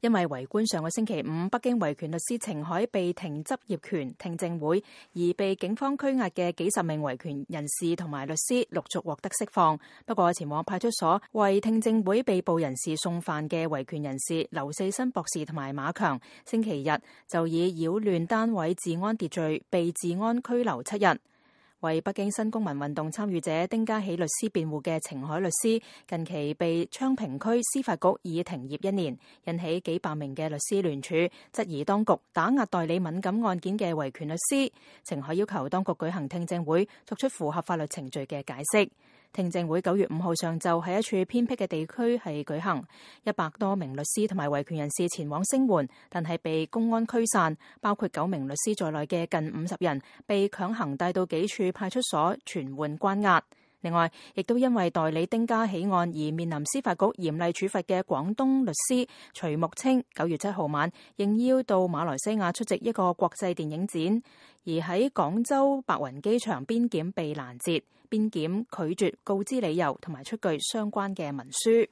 因為圍觀上個星期五北京維權律師程海被停執業權聽證會，而被警方拘押嘅幾十名維權人士同埋律師陸續獲得釋放。不過前往派出所為聽證會被捕人士送飯嘅維權人士劉四新博士同埋馬強，星期日就以擾亂單位治安秩序被治安拘留7日。為北京新公民運動參與者丁家喜律師辯護嘅程海律師，近期被昌平區司法局以停業1年，引起幾百名嘅律師聯署，質疑當局打壓代理敏感案件嘅維權律師。程海要求當局舉行聽證會，作出符合法律程序嘅解釋。聽證會9月5號上晝喺一處偏僻嘅地區係舉行，100多名律師同埋維權人士前往聲援，但係被公安驅散，包括9名律師在內嘅近50人被強行帶到幾處派出所傳喚關押。另外，亦都因為代理丁家喜案而面臨司法局嚴厲處罰嘅廣東律師徐木清，9月7號晚應邀到馬來西亞出席一個國際電影展，而喺廣州白雲機場邊檢被攔截，邊檢拒絕告知理由同埋出具相關嘅文書。